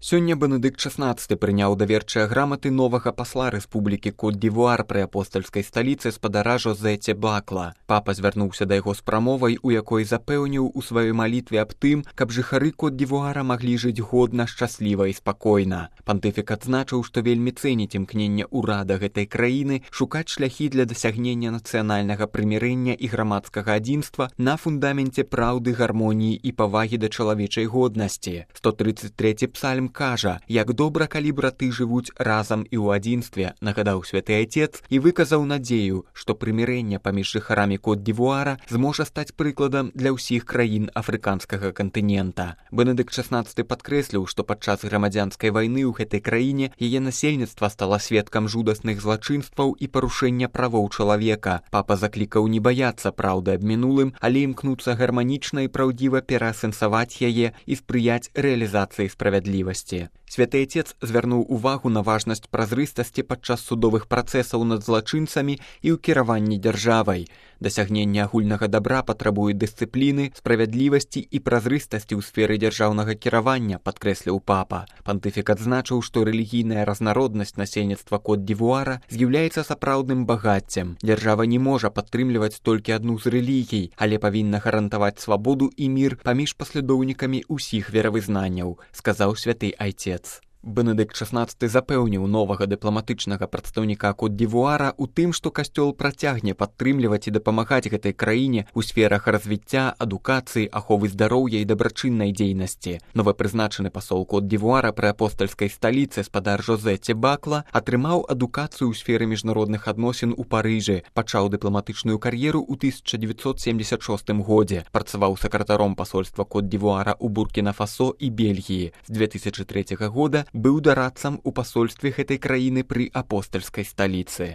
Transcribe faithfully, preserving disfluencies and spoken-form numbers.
Сёння Бенедыкт шаснаццаты прыняў даверчыя граматы новага пасла Рэспублікі Кот-д'Івуар пры апостальскай сталіцы спадара Жозе Тебакла. Папа звярнуўся да яго з прамовай, у якой запэўніў у сваёй малітве аб тым, каб жыхары Кот-д'Івуара маглі жыць годна, шчасліва і спакойна. Пантыфік адзначыў, што вельмі цэніць імкнення ўрада гэтай краіны шукаць шляхі для дасягнення нацыянальнага прымірэння і грамадскага адзінства на фундаменце праўды, гармоніі і павагі да чалавечай годнасці. сто тридцать трэці псальм кажа, як добра, калі браты жывуць разам і ў адзінстве, нагадаў святы айцец і выказаў надзею, што прымірэнне паміж жыхарамі Кот-д'Івуара зможа стаць прыкладам для ўсіх краін афрыканскага кантынента. Бенедыкт шаснаццаты падкрэсліў, што падчас грамадзянскай вайны ў гэтай краіне яе насельніцтва стала сведкам жудасных злачынстваў і парушэння правоў чалавека. Папа заклікаў не баяцца праўды аб мінулым, але імкнуцца гарманічна і праўдзіва пераасэнсаваць яе і спрыяць рэалізацыі справядлівасці. Святы айцец звярнуў увагу на важнасць празрыстасці падчас судовых працэсаў над злачынцамі і ў кіраванні дзяржавай. Дасягненне агульнага дабра патрабуе дысцыпліны, справядлівасці і празрыстасці ў сферы дзяржаўнага кіравання, падкрэсліў папа. Пантыфік адзначыў, што рэлігійная разнароднасць насельніцтва Кот-д'Івуара з'яўляецца сапраўдным багаццем. Дзяржава не можа падтрымліваць толькі адну з рэлігій, але павінна гарантаваць свабоду і мір паміж паслядоўнікамі ўсіх веравызнанняў, сказаў святы айцец. Бенедыкт шаснаццаты запэўніў новага дыпламатычнага прадстаўніка Кот-д'Івуара ў тым, што касцёл працягне падтрымліваць і дапамагаць гэтай краіне ў сферах развіцця, адукацыі, аховы здароўя і дабрачыннай дзейнасці. Новапрызначаны пасол Кот-д'Івуара пры апостальскай сталіцы спадар Жозе Тебакла атрымаў адукацыю ў сферы міжнародных адносін у Парыжы, пачаў дыпламатычную кар'еру ў тысяча дзевяцьсот семьдесят шостым годзе, працаваў сакратаром пасольства Кот-д'Івуара ў Буркіна-Фасо і Бельгіі. З две тысячы трэцяга года быў дарадцам у пасольстве гэтай краіны пры апостальскай сталіцы.